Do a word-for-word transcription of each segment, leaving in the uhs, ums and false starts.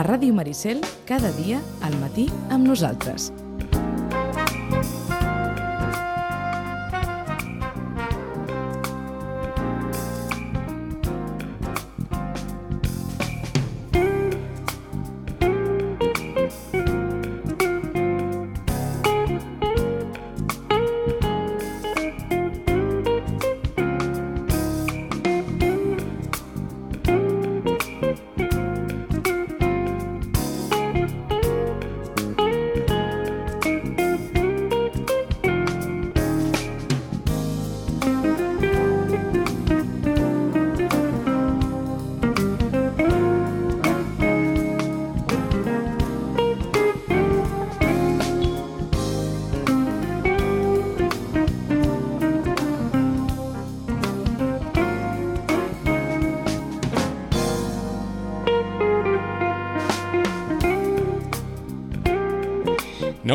Ràdio Maricel, cada dia, al matí, amb nosaltres.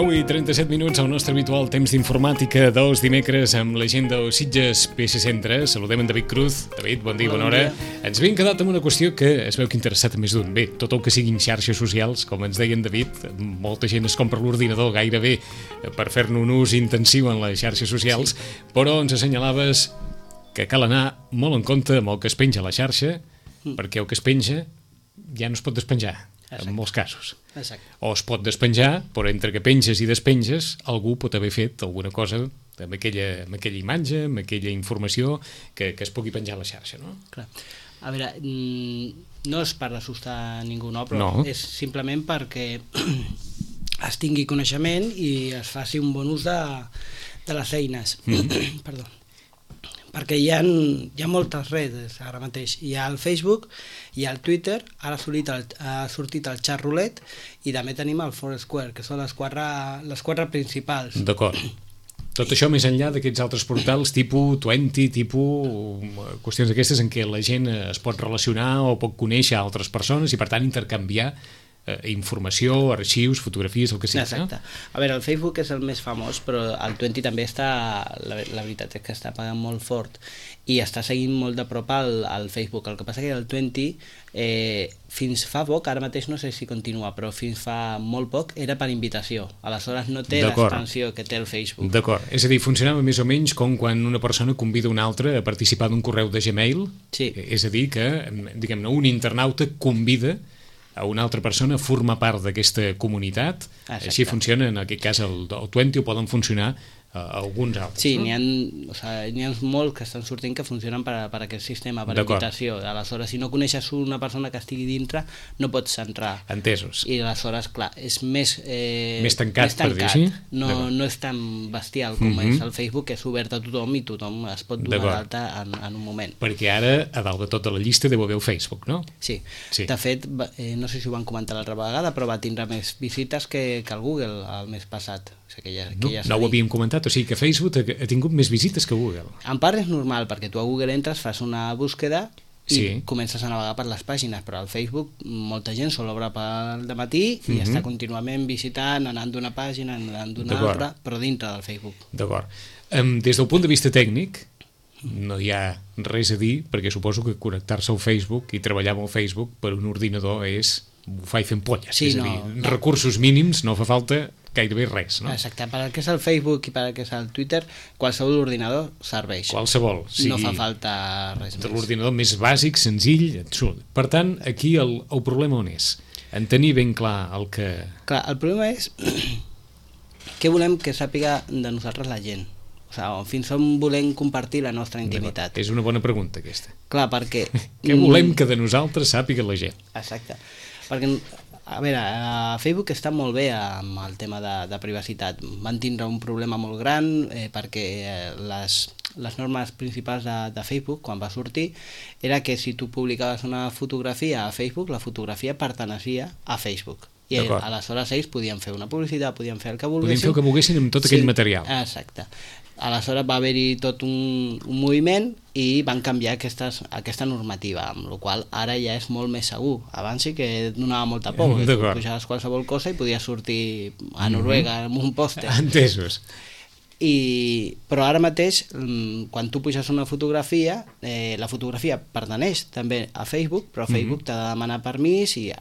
nou i trenta-set minuts al nostre habitual temps d'informàtica dels dimecres amb la gent del Sitges P C Centre. Saludem en David Cruz. David, bon dia, bona hora. Ens havíem quedat amb una qüestió que es veu que ha interessat a més d'un. Bé, tot el que siguin xarxes socials, com ens deia en David, molta gent es compra l'ordinador gairebé per fer-ne un ús intensiu en les xarxes socials, sí. Però ens assenyalaves que cal anar molt en compte amb el que es penja a la xarxa, mm. perquè el que es penja ja no es pot despenjar. Exacte. En molts casos. Exacte. O es pot despenjar, però entre que penges i despenges algú pot haver fet alguna cosa amb aquella, amb aquella imatge, amb aquella informació que, que es pugui penjar a la xarxa, no? Clar. A veure, no és per assustar ningú, no? Però no. És simplement perquè es tingui coneixement i es faci un bon ús de, de les eines. Mm. Perdó. Perquè hi ha, hi ha moltes redes ara mateix. Hi ha el Facebook, hi ha el Twitter, ara ha sortit el, ha sortit el Chat Roulette i també tenim el Foursquare, que són les quatre, les quatre principals. D'acord. Tot això més enllà d'aquests altres portals tipus vint, tipus qüestions aquestes en què la gent es pot relacionar o pot conèixer altres persones i per tant intercanviar eh, informació, arxius, fotografies, el que sigui. Exacte. No? A veure, el Facebook és el més famós, però el vint també està, la, la veritat és que està pagant molt fort i està seguint molt de prop al, al Facebook. El que passa que el vint, eh, fins fa poc, ara mateix no sé si continua, però fins fa molt poc era per invitació. Aleshores no té l'extensió que té el Facebook. D'acord. És a dir, funcionava més o menys com quan una persona convida una altra a participar d'un correu de Gmail. Sí. És a dir, que, diguem-ne, un internauta convida a una altra persona a formar part d'aquesta comunitat. Exacte. Així funciona, en aquest cas, el, el vint, o poden funcionar uh, alguns altres. Sí, no? n'hi ha, o sigui, n'hi ha molts que estan sortint que funcionen per, per aquest sistema, per invitació. Aleshores, si no coneixes una persona que estigui dintre, no pots entrar. Entesos. I aleshores, clar, és més... Eh, més tancat, més tancat, per dir així? No, no és tan bestial com mm-hmm. és el Facebook, que és obert a tothom i tothom es pot donar d'alta en, en un moment. Perquè ara, a dalt de tota la llista, deu haver el Facebook, no? Sí. sí. De fet, eh, no sé si ho van comentar l'altra vegada, però va tindre més visites que, que el Google el mes passat. O sigui, que ja, no, que ja no ho havíem comentat, o sigui que Facebook ha, ha tingut més visites que Google. En part és normal, perquè tu a Google entres, fas una búsqueda i sí. comences a navegar per les pàgines, però al Facebook molta gent sol obre pel dematí i mm-hmm. està contínuament visitant, anant d'una pàgina, anant d'una altra, però dintre del Facebook. D'acord. Um, des del punt de vista tècnic, no hi ha res a dir, perquè suposo que connectar-se al Facebook i treballar amb el Facebook per un ordinador és bufar i fent polles. Sí, és a no, dir, no. recursos mínims, no fa falta gairebé res, no? Exacte, per al que és el Facebook i per al que és el Twitter, qualsevol ordinador serveix. Qualsevol. Sí, no fa falta res més. L'ordinador més bàsic, senzill, absolut. Per tant, aquí el, el problema on és? En tenir ben clar el que... Clar, el problema és què volem que sàpiga de nosaltres la gent. O sigui, fins on volem compartir la nostra intimitat. És una bona pregunta, aquesta. Clar, perquè... Què volem que de nosaltres sàpiga la gent? Exacte. Perquè, a veure, a Facebook està molt bé amb el tema de, de privacitat. Van tindre un problema molt gran eh, perquè les, les normes principals de, de Facebook, quan va sortir, era que si tu publicaves una fotografia a Facebook, la fotografia perteneixia a Facebook. I aleshores ells podien fer una publicitat, podien fer el que volguessin. Podien fer el que volguessin amb tot aquell sí, material. Exacte. Aleshores va haver-hi tot un, un moviment i van canviar aquestes, aquesta normativa, amb la qual ara ja és molt més segur. Abans sí que donava molta por, que tu pujaves qualsevol cosa i podies sortir a Noruega mm-hmm. amb un pòster. Entesos. I, però ara mateix, quan tu puges una fotografia, eh, la fotografia pertaneix també a Facebook, però Facebook mm-hmm. t'ha de demanar permís i...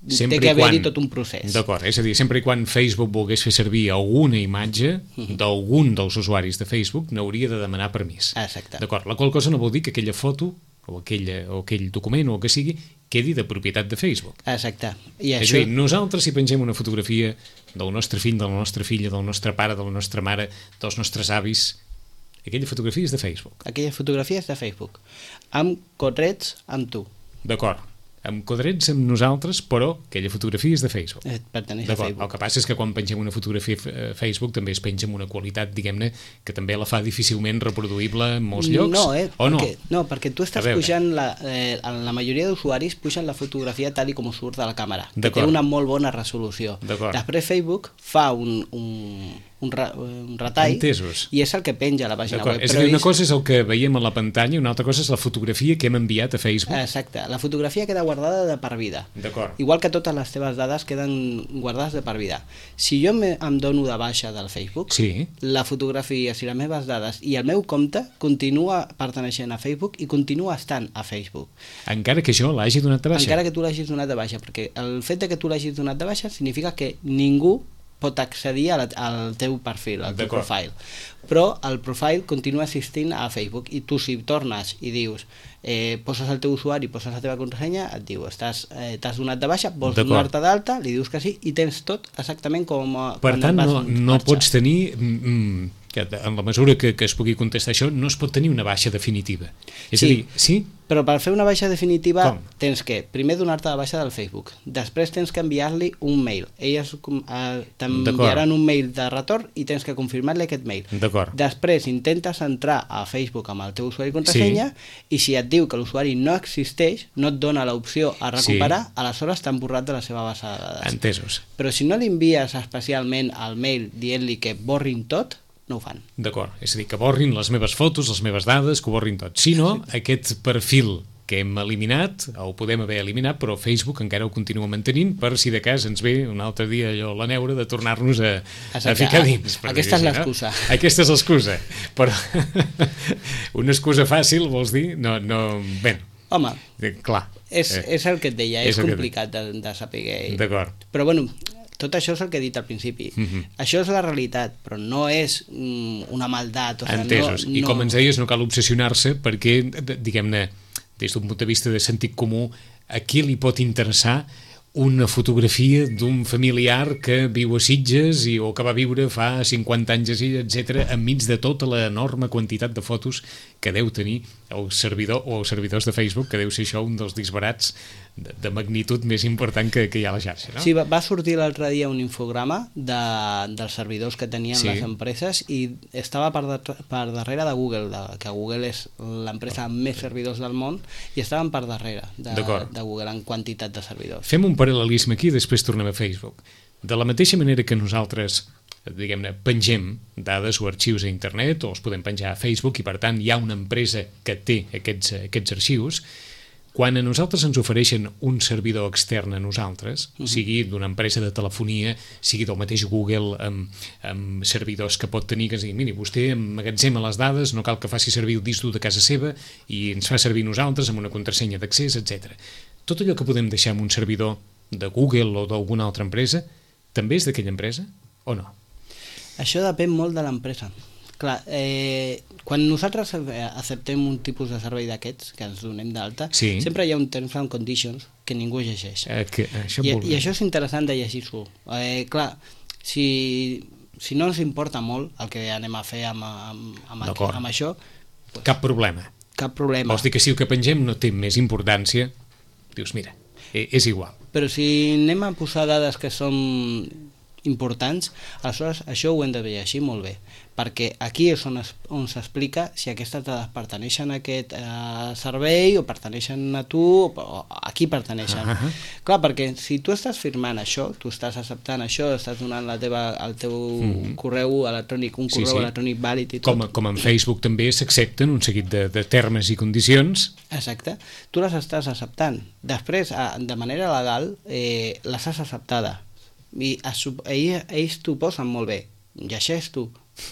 Sempre té que haver-hi tot un procés. D'acord, és a dir, sempre i quan Facebook volgués fer servir alguna imatge mm-hmm. d'algun dels usuaris de Facebook, n'hauria de demanar permís. Exacte. D'acord, la qual cosa no vol dir que aquella foto o, aquella, o aquell document o el que sigui quedi de propietat de Facebook. Exacte. I és això... a dir, nosaltres si pengem una fotografia del nostre fill, de la nostra filla, del nostre pare, de la nostra mare, dels nostres avis, aquella fotografia és de Facebook. Aquella fotografia és de Facebook. Amb cotrets amb tu. D'acord. Amb quadrets amb nosaltres, però aquella fotografia és de Facebook. Eh, pertaneix a Facebook. El que passa és que quan pengem una fotografia a Facebook també es penja amb una qualitat, diguem-ne, que també la fa difícilment reproduïble en molts llocs. No, eh? O no? Perquè, no, perquè tu estàs pujant, la, eh, la majoria d'usuaris pugen la fotografia tal i com surt de la càmera, que té una molt bona resolució. Després Facebook fa un... un un, ra, un retall. Entesos. I és el que penja a la pàgina web. És a dir, una cosa és el que veiem a la pantalla i una altra cosa és la fotografia que hem enviat a Facebook. Exacte, la fotografia queda guardada de per vida. D'acord. Igual que totes les teves dades queden guardades de per vida. Si jo me, em dono de baixa del Facebook, sí. la fotografia, si les meves dades i el meu compte continua perteneixent a Facebook i continua estant a Facebook. Encara que jo l'hagi donat de baixa? Encara que tu l'hagis donat de baixa, perquè el fet de que tu l'hagis donat de baixa significa que ningú pot accedir a la, al teu perfil, al teu profile. Però el profile continua assistint a Facebook i tu si tornes i dius, eh, poses el teu usuari, poses la teva contrasenya, et diu, estàs eh, t'has donat de baixa, vols donar-te d'alta, li dius que sí i tens tot exactament com... Per tant, no, no pots tenir... Mm, que en la mesura que, que es pugui contestar això, no es pot tenir una baixa definitiva. És sí, a dir, sí? Però per fer una baixa definitiva Com? tens que primer donar-te de baixa del Facebook, després tens que enviar-li un mail. Elles eh, t'enviaran un mail de retorn i tens que confirmar-li aquest mail. Després intentes entrar a Facebook amb el teu usuari i contrasenya sí. i si et diu que l'usuari no existeix, no et dona l'opció a recuperar, sí. aleshores t'han borrat de la seva base de dades. Entesos. Però si no li envies especialment al mail dient-li que borrin tot, no ho fan. D'acord, és a dir, que borrin les meves fotos, les meves dades, que ho borrin tot. Si no, aquest perfil que hem eliminat, o ho podem haver eliminat, però Facebook encara ho continua mantenint per si de cas ens ve un altre dia allò la neura de tornar-nos a, a ficar dins. Aquesta és l'excusa. No? Aquesta és l'excusa. Però una excusa fàcil, vols dir? No, no... Bé, home, clar. És, és el que et deia, és, és complicat de, de saber. D'acord. Però bueno... Tot això és el que he dit al principi. Uh-huh. Això és la realitat, però no és mm, una maldat. O sigui, entesos. no, I no... com ens deies, no cal obsessionar-se perquè, diguem-ne, des d'un punt de vista de sentit comú, a qui li pot interessar una fotografia d'un familiar que viu a Sitges i, o que va viure fa cinquanta anys a Sitges, etcètera, enmig de tota l'enorme quantitat de fotos que deu tenir el servidor o els servidors de Facebook, que deu ser això un dels disbarats de, de magnitud més important que, que hi ha a la xarxa, no? Sí, va, va sortir l'altre dia un infograma de, dels servidors que tenien sí. les empreses i estava per, de, per darrere de Google, de, que Google és l'empresa amb més servidors del món, i estaven per darrere de, de Google en quantitat de servidors. Fem un paral·lelisme aquí i després tornem a Facebook. De la mateixa manera que nosaltres, diguem-ne, pengem dades o arxius a internet o els podem penjar a Facebook i per tant hi ha una empresa que té aquests, aquests arxius, quan a nosaltres ens ofereixen un servidor extern a nosaltres, uh-huh. sigui d'una empresa de telefonia, sigui del mateix Google amb, amb servidors que pot tenir, que digui, miri, vostè emmagatzema les dades, no cal que faci servir el disc dur de casa seva i ens fa servir nosaltres amb una contrasenya d'accés, etcètera. Tot allò que podem deixar en un servidor de Google o d'alguna altra empresa, també és d'aquella empresa o no? Això depèn molt de l'empresa. Clar, eh, quan nosaltres acceptem un tipus de servei d'aquests, que ens donem d'alta, sí. sempre hi ha un terms and conditions que ningú llegeix. Eh, que, això I, I això és interessant de llegir-s'ho. Eh, clar, si, si no ens importa molt el que anem a fer amb, amb, amb, aquí, amb això... Pues, cap problema. Cap problema. Vols dir que si el que pengem no té més importància, dius, mira, és igual. Però si anem a posar dades que són importants, aleshores això ho hem de llegir molt bé, perquè aquí és on, es, on s'explica si aquestes dades pertaneixen a aquest eh, servei o pertaneixen a tu o a qui pertaneixen. Uh-huh. Clar, perquè si tu estàs firmant això, tu estàs acceptant això, estàs donant la teva, el teu uh-huh. correu electrònic, un correu sí, sí. electrònic vàlid i tot. Com, com en Facebook també s'accepten un seguit de, de termes i condicions. Exacte. Tu les estàs acceptant. Després, de manera legal, eh, les has acceptada. I ells, ells t'ho posen molt bé, llegeix tu,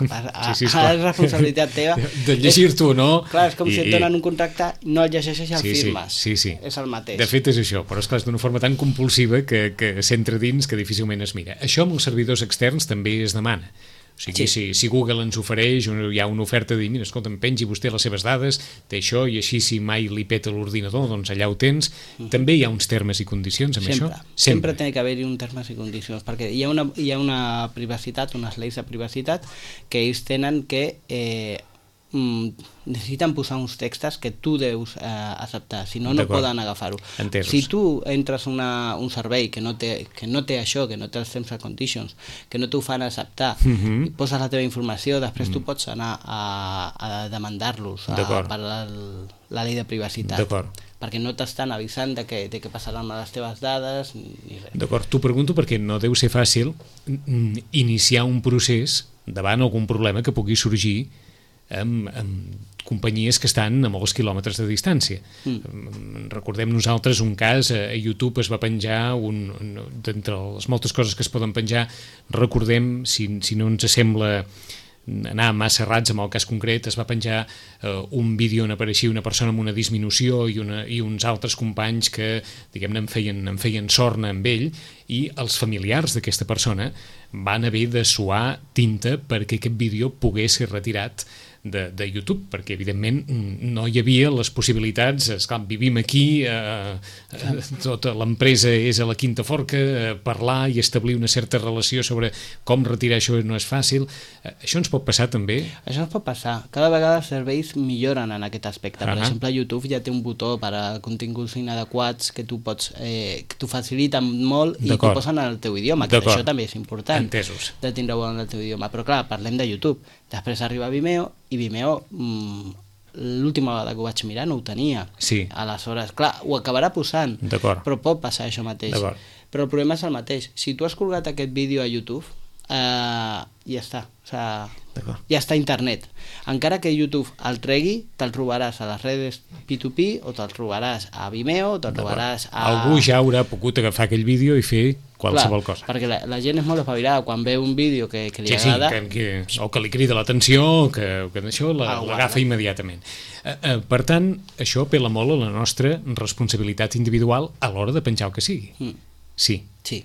A, sí, sí, a, a la responsabilitat teva. De llegir-t'ho o no. Clar, és com i, si et donen un contracte, no el llegeixes i el sí, firmes. Sí, sí, sí. És el mateix. De fet és això, però és clar, és d'una forma tan compulsiva que, que s'entra dins que difícilment es mira. Això amb els servidors externs també es demana. O sigui, sí. si, si Google ens ofereix, hi ha una oferta de dir, mira, escolta, em pengi vostè les seves dades, té això, i així si mai li peta l'ordinador, doncs allà ho tens. Mm. També hi ha uns termes i condicions amb sempre. això? Sempre. Sempre té que haver-hi un termes i condicions, perquè hi ha una, hi ha una privacitat, unes lleis de privacitat, que ells tenen que... Eh, necessiten posar uns textos que tu deus eh, acceptar, si no, no poden agafar-ho. Si tu entres una, un servei que no, té, que no té això, que no té els terms and conditions, que no t'ho fan acceptar, uh-huh. i poses la teva informació, després uh-huh. tu pots anar a, a demandar-los per la, la llei de privacitat, perquè no t'estan avisant de què de que passaran a les teves dades ni res. D'acord, t'ho pregunto perquè no deu ser fàcil iniciar un procés davant algun problema que pugui sorgir Amb, amb companyies que estan a molts quilòmetres de distància. Mm. Recordem nosaltres un cas, a YouTube es va penjar, un, d'entre les moltes coses que es poden penjar, recordem, si, si no ens sembla anar massa errats amb el cas concret, es va penjar eh, un vídeo on apareixia una persona amb una disminució i, una, i uns altres companys que, diguem-ne, en feien, en feien sorna amb ell, i els familiars d'aquesta persona van haver de suar tinta perquè aquest vídeo pogués ser retirat de, de YouTube, perquè evidentment no hi havia les possibilitats, esclar, vivim aquí, eh, eh, tota l'empresa és a la quinta forca, eh, parlar i establir una certa relació sobre com retirar això no és fàcil. Eh, això ens pot passar també? Això ens pot passar. Cada vegada els serveis milloren en aquest aspecte. Per uh-huh. exemple, YouTube ja té un botó per a continguts inadequats que tu pots, eh, que t'ho faciliten molt i t'ho posen en el teu idioma, que això també és important. Entesos. De tindre-ho en el teu idioma. Però clar, parlem de YouTube. Després arriba Vimeo, i Vimeo, mmm, l'última vegada que ho vaig mirar no ho tenia. Sí. Aleshores, clar, ho acabarà posant, però pot passar això mateix. Però el problema és el mateix. Si tu has colgat aquest vídeo a YouTube, eh, ja està. O sigui, ja està a internet. Encara que YouTube el tregui, te'l trobaràs a les redes P dos P, o te'l trobaràs a Vimeo, o te'l trobaràs a... Algú ja haurà pogut agafar aquell vídeo i fer qualsevol Clar, cosa. Perquè la, la gent és molt espavilada quan veu un vídeo que, que li sí, agrada... Sí, que, que, o que li crida l'atenció, que, que això l'agafa immediatament. Eh, eh, per tant, això apela molt a la nostra responsabilitat individual a l'hora de penjar el que sigui. Mm. Sí. Sí,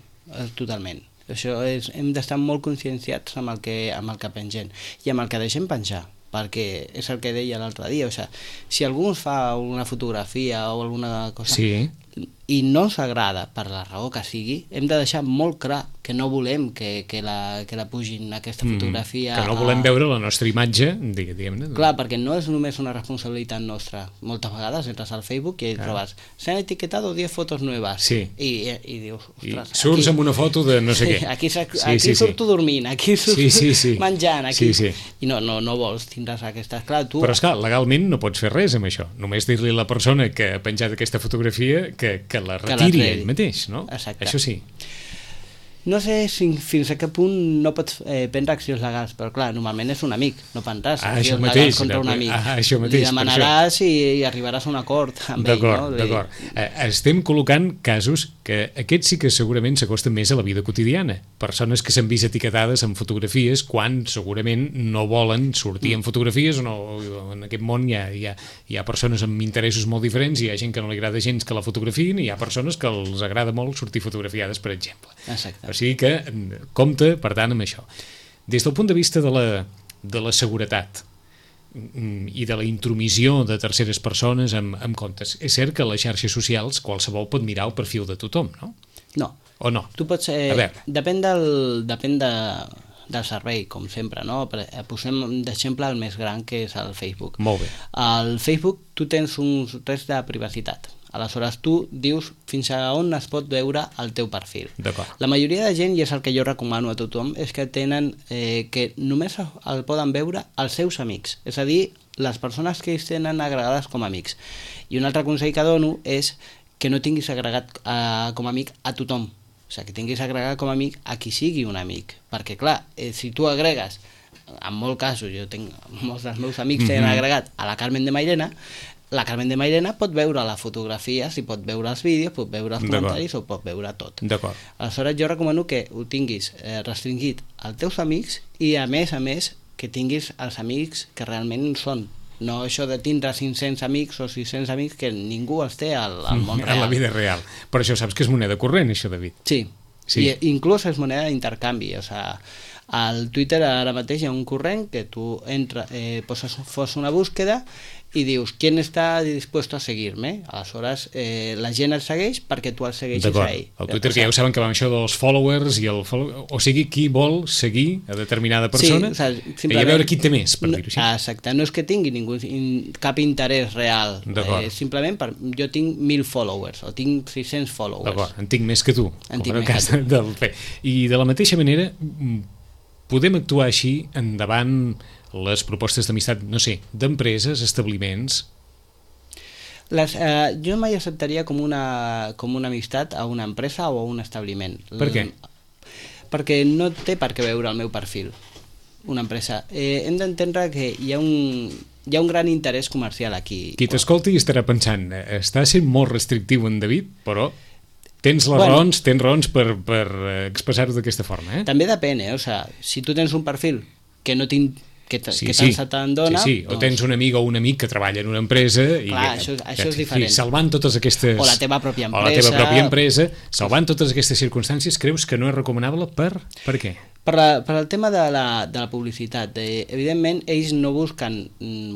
totalment. Això és, hem d'estar molt conscienciats amb el, que, amb el que pengem i amb el que deixem penjar, perquè és el que deia l'altre dia, o sigui, si algú ens fa una fotografia o alguna cosa sí. i no ens agrada per la raó que sigui, hem de deixar molt clar que no volem que, que, la, que la pugin aquesta fotografia... Mm, que no volem a... veure la nostra imatge, diguem-ne. Clar, perquè no és només una responsabilitat nostra. Moltes vegades entres al Facebook i ah. trobes s'han etiquetado diez fotos nuevas. Sí. I, i dius, ostres... I surts aquí... amb una foto de no sé què. Aquí, aquí sí, sí, surto sí. dormint, aquí surto sí, sí, sí. menjant, aquí... Sí, sí. I no, no, no vols tindre's aquestes... Clar, tu... Però esclar, legalment no pots fer res amb això. Només dir-li a la persona que ha penjat aquesta fotografia que, que la retiri ell mateix, no? Exacte. Això sí. No sé si, fins a què punt no pots eh, prendre accions legals, però clar, normalment és un amic, no prendràs ah, accions mateix, legals contra un amic. Ah, això mateix, li demanaràs i, i arribaràs a un acord amb ell. D'acord, no? d'acord. Eh, estem col·locant casos que aquests sí que segurament s'acosten més a la vida quotidiana. Persones que s'han vist etiquetades en fotografies quan segurament no volen sortir mm. en fotografies, o no, en aquest món hi ha, hi, ha, hi ha persones amb interessos molt diferents, hi ha gent que no li agrada gens que la fotografiïn i hi ha persones que els agrada molt sortir fotografiades, per exemple. Exacte. O sigui que compte, per tant, amb això. Des del punt de vista de la, de la seguretat i de la intromissió de terceres persones amb, amb comptes, és cert que a les xarxes socials qualsevol pot mirar el perfil de tothom, no? No. O no? Tu pots... Eh, depèn del... Depèn de, del servei, com sempre, no? Posem d'exemple el més gran, que és el Facebook. Molt bé. Al Facebook tu tens uns drets de privacitat. Aleshores tu dius fins a on es pot veure el teu perfil. La majoria de gent, i és el que jo recomano a tothom, és que tenen eh, que només el poden veure els seus amics, és a dir, les persones que ells tenen agregades com a amics. I un altre consell que dono és que no tinguis agregat eh, com a amic a tothom, o sigui, que tinguis agregat com a amic a qui sigui un amic, perquè clar, eh, si tu agregues, en molts casos, jo tinc molts dels meus amics que mm-hmm. han agregat a la Carmen de Mairena, la Carmen de Mairena pot veure la fotografia, si pot veure els vídeos, pot veure els comentaris o pot veure tot. Aleshores jo recomano que ho tinguis eh, restringit als teus amics i a més a més que tinguis els amics que realment són. No això de tindre cinc-cents amics o sis-cents amics que ningú els té al, al món real. A la vida real. Però això saps que és moneda corrent, això, David. Sí, sí. I inclús és moneda d'intercanvi. O sigui, al Twitter ara mateix hi ha un corrent que tu entra, eh, poses, fos una búsqueda i dius, ¿quién está dispuesto a seguirme? Aleshores, eh, la gent el segueix perquè tu el segueixis a ell. El Twitter, que ja ho saben que va amb això dels followers, i el follow... o sigui, qui vol seguir a determinada persona, sí, o sigui, simplement... i a veure qui té més, per dir-ho així. Exacte, no és que tingui ningú, cap interès real, eh, simplement per, jo tinc mil followers, o tinc sis-cents followers. D'acord, en tinc més que tu, en com en el cas del P. I de la mateixa manera, podem actuar així endavant les propostes d'amistat, no sé, d'empreses, establiments? Les, eh, jo mai acceptaria com una, com una amistat a una empresa o a un establiment. Per què? Perquè no té per què veure el meu perfil, una empresa. Eh, hem d'entendre que hi ha, un, hi ha un gran interès comercial aquí. Qui t'escolti estarà pensant, està sent molt restrictiu en David, però... Tens les bueno, raons, tens raons per, per expressar-ho d'aquesta forma, eh? També depèn, eh? O sigui, si tu tens un perfil que no tinc que, sí, que sí. tant se te'n dona... Sí, sí, o doncs... tens una amiga o un amic que treballa en una empresa... Clar, i, això, que, això és diferent. I salvant totes aquestes... O la teva pròpia empresa... O la teva pròpia empresa, salvant totes aquestes circumstàncies, creus que no és recomanable per, per què? Per, la, per el tema de la, de la publicitat. Eh, evidentment, ells no busquen...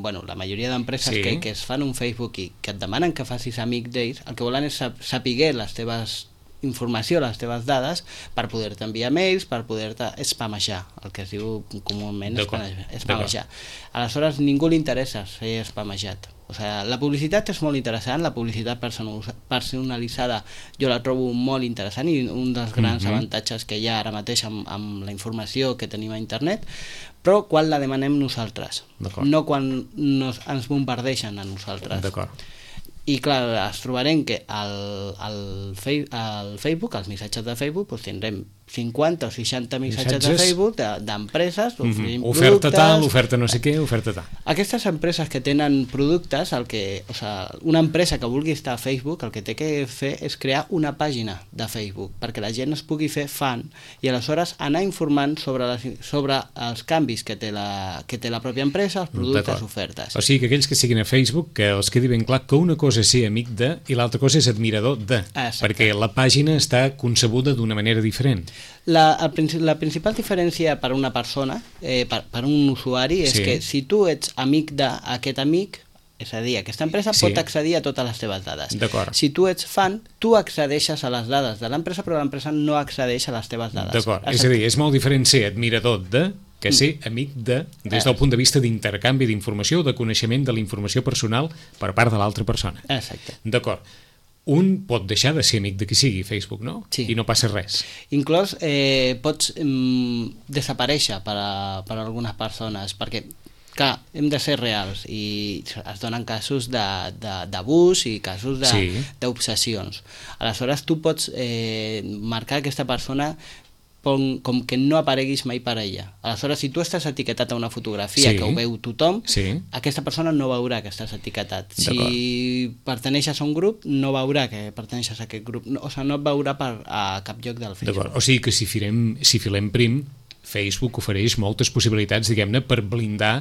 Bueno, la majoria d'empreses sí. que, que es fan un Facebook i que et demanen que facis amic d'ells, el que volen és saber les teves informació, les teves dades, per poder-te enviar mails, per poder-te spamejar, el que es diu comúment spamejar. Aleshores, ningú li interessa ser spamejat. O sigui, la publicitat és molt interessant, la publicitat personalitzada jo la trobo molt interessant i un dels grans mm-hmm. avantatges que hi ha ara mateix amb, amb la informació que tenim a internet, però quan la demanem nosaltres, no quan nos, ens bombardeixen a nosaltres. D'acord. I clar, es trobarem que al, al, fei, al Facebook, als missatges de Facebook, doncs tindrem cinquanta o seixanta missatges, missatges? de Facebook d'empreses, de, mm-hmm. oferta productes, tal, oferta no sé què, oferta tal. Aquestes empreses que tenen productes, el que, o sigui, una empresa que vulgui estar a Facebook, el que té que fer és crear una pàgina de Facebook perquè la gent es pugui fer fan i aleshores anar informant sobre, les, sobre els canvis que té, la, que té la pròpia empresa, els productes, ofertes. O sigui que aquells que siguin a Facebook, que els quedi ben clar que una cosa és ser amic de i l'altra cosa és admirador de, exacte. Perquè la pàgina està concebuda d'una manera diferent. La, el, la principal diferència per a una persona, eh, per, per un usuari, és sí. que si tu ets amic d'aquest amic, és a dir, aquesta empresa sí. pot accedir a totes les teves dades. Si tu ets fan, tu accedeixes a les dades de l'empresa, però l'empresa no accedeix a les teves dades. D'acord, és a dir, és molt diferent ser admirador de que ser amic de, des del punt de vista d'intercanvi d'informació o de coneixement de la informació personal per part de l'altra persona. Exacte. D'acord. Un pot deixar de ser amic de qui sigui Facebook, no? Sí. I no passa res. Inclús eh, pots mm, desaparèixer per a, per a algunes persones, perquè, clar, hem de ser reals i es donen casos d'abús i casos d'obsessions. Sí. Aleshores, tu pots eh, marcar aquesta persona com, com que no apareguis mai per ella. Aleshores, si tu estàs etiquetat a una fotografia sí. que ho veu tothom, sí. aquesta persona no veurà que estàs etiquetat. Si perteneixes a un grup, no veurà que perteneixes a aquest grup. No, o sigui, no et veurà per, a cap lloc del Facebook. O sigui que si filem, si filem prim, Facebook ofereix moltes possibilitats, diguem-ne, per blindar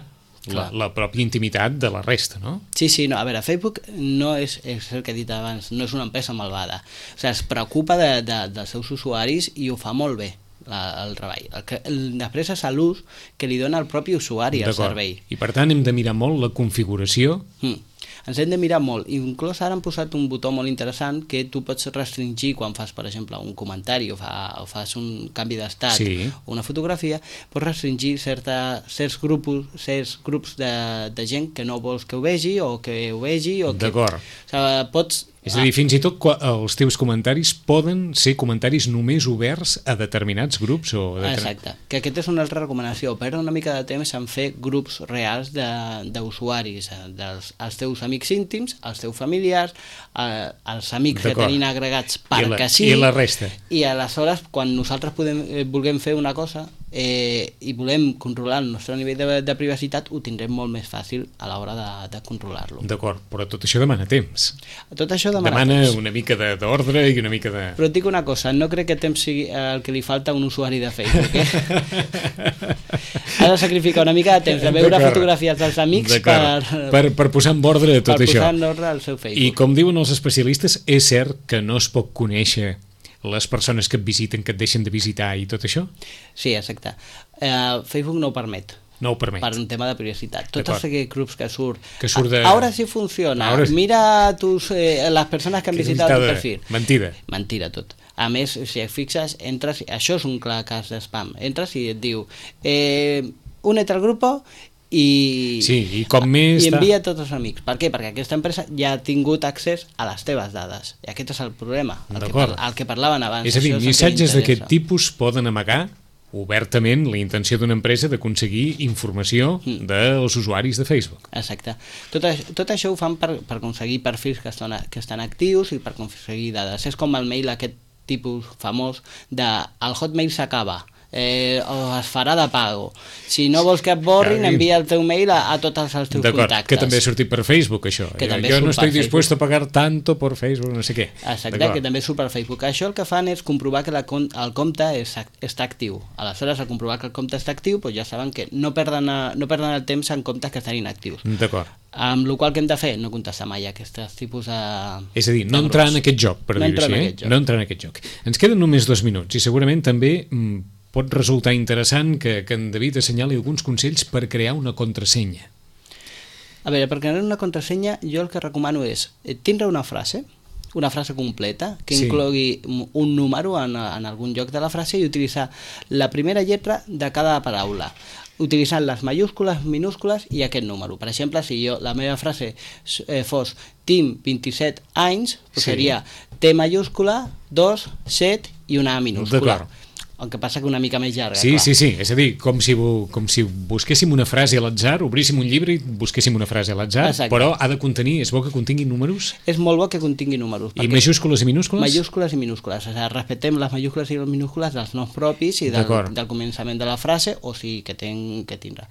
la, la pròpia intimitat de la resta, no? Sí, sí, no, a veure, Facebook no és, és el que he dit abans, no és una empresa malvada. O sigui, es preocupa de, de, dels seus usuaris i ho fa molt bé. La, el treball. El que, el, després és l'ús que li dona el propi usuari al servei. I per tant hem de mirar molt la configuració. Mm. Ens hem de mirar molt. Inclús ara han posat un botó molt interessant que tu pots restringir quan fas, per exemple, un comentari o, fa, o fas un canvi d'estat sí. o una fotografia, pots restringir certa, certs, grups, certs grups de, de gent que no vols que ho vegi o que ho vegi. D'acord. O sigui, pots... És a dir, fins i tot els teus comentaris poden ser comentaris només oberts a determinats grups o... Exacte, que aquesta és una altra recomanació, perdre una mica de temps en fer grups reals d'usuaris, de, dels els teus amics íntims, els teus familiars, eh, els amics que tenim agregats perquè sí. I la resta. I aleshores, quan nosaltres podem, eh, vulguem fer una cosa, eh, i volem controlar el nostre nivell de, de privacitat, ho tindrem molt més fàcil a l'hora de, de controlar-lo. D'acord, però tot això demana temps. Tot això demana, demana temps. una mica d'ordre i una mica de... Però et dic una cosa, no crec que temps sigui el que li falta a un usuari de Facebook, eh? Ha de sacrificar una mica de temps de veure fotografies dels amics per, per, per posar en ordre tot per això. posar en ordre el seu Facebook. I com diuen els especialistes, és cert que no es pot conèixer les persones que et visiten, que et deixen de visitar i tot això? Sí, exacte. Eh, Facebook no ho permet. No ho permet. Per un tema de privacitat. Tots els grups que surt... Que surt de... Ara sí funciona. Ara... Mira tus, eh, les persones que han que visitat el teu perfil. Mentida. Mentida, tot. A més, si et fixes, entres... Això és un clar cas de spam. Entres i et diu... Eh, únete al grupo... I, sí, i com més i envia a tots els amics. Per què? Perquè aquesta empresa ja ha tingut accés a les teves dades. I aquest és el problema, el, que, par el que parlaven abans. És a dir, missatges d'aquest tipus poden amagar obertament la intenció d'una empresa d'aconseguir informació mm. dels usuaris de Facebook. Exacte. Tot, això, tot això ho fan per, per aconseguir perfils que estan, que estan actius i per aconseguir dades. És com el mail aquest tipus famós de el Hotmail s'acaba. Eh, o es farà de pago. Si no vols que et borrin, envia el teu mail a, a tots els teus contactes. Que també ha sortit per Facebook, això. Que jo jo no estic dispuesto a pagar tanto per Facebook, no sé què. Exacte, que també surt per Facebook. Això el que fan és comprovar que la, el compte és, està actiu. Aleshores, al comprovar que el compte està actiu, doncs ja saben que no perden, no perden el temps en comptes que estan inactius. D'acord. Amb la qual que hem de fer? No contestar mai aquests tipus de... És a dir, no entrar en aquest joc, per dir-ho així, eh? No entrar en aquest joc. Ens queden només dos minuts i segurament també pot resultar interessant que, que en David assenyali alguns consells per crear una contrasenya. A veure, per crear una contrasenya jo el que recomano és tindre una frase, una frase completa, que sí. inclogui un número en, en algun lloc de la frase i utilitzar la primera lletra de cada paraula, utilitzant les majúscules, minúscules i aquest número. Per exemple, si jo la meva frase eh, fos tinc vint-i-set anys, sí. seria T majúscula, dos, set i una A minúscula. D'acord. El que passa que una mica més llarga. Sí, clar. sí, sí, és a dir, com si, com si busquéssim una frase a l'atzar, obríssim un llibre i busquéssim una frase a l'atzar, però ha de contenir, és bo que contingui números? És molt bo que contingui números. I majúscules i minúscules? Majúscules i minúscules, o sigui, respectem les majúscules i les minúscules dels noms propis i del, del començament de la frase, o sigui, que, ten, que tindrà.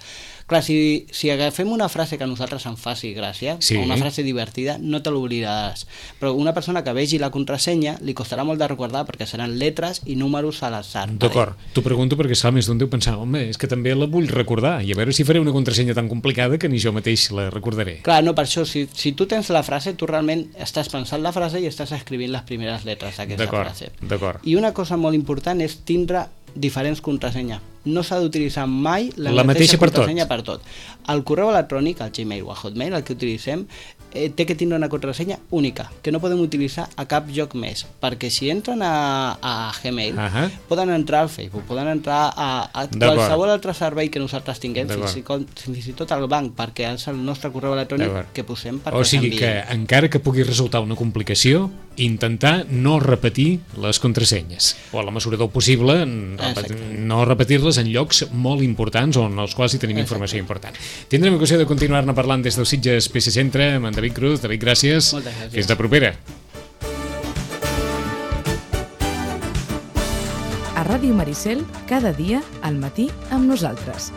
Clar, si, si agafem una frase que a nosaltres ens faci gràcia, sí. o una frase divertida, no te l'oblidaràs. Però una persona que vegi la contrasenya li costarà molt de recordar perquè seran lletres i números a l'atzar. D'acord, t'ho pregunto perquè esclar, més d'un deu pensar, home, és que també la vull recordar i a veure si faré una contrasenya tan complicada que ni jo mateix la recordaré. Clar, no, per això, si, si tu tens la frase, tu realment estàs pensant la frase i estàs escrivint les primeres lletres d'aquesta frase. D'acord. I una cosa molt important és tindre diferents contrasenyes. No s'ha d'utilitzar mai la, la mateixa, mateixa per contrasenya tot. per tot. El correu electrònic, el Gmail o el Hotmail, el que utilitzem, eh, té que tindre una contrasenya única, que no podem utilitzar a cap lloc més, perquè si entren a, a Gmail, uh -huh. poden entrar al Facebook, poden entrar a, a qualsevol altre servei que nosaltres tinguem, fins i, fins i tot al banc, perquè és el nostre correu electrònic que posem perquè o sigui que, encara que pugui resultar una complicació, intentar no repetir les contrasenyes, o a la mesura del possible, no repetir-les en llocs molt importants o en els quals hi tenim Exacte. informació important. Tindrem ocasió de continuar-ne parlant des del Sitges P C Centre amb en David Cruz. David, gràcies. Moltes gràcies. Fins la propera. A Ràdio Maricel, cada dia al matí amb nosaltres.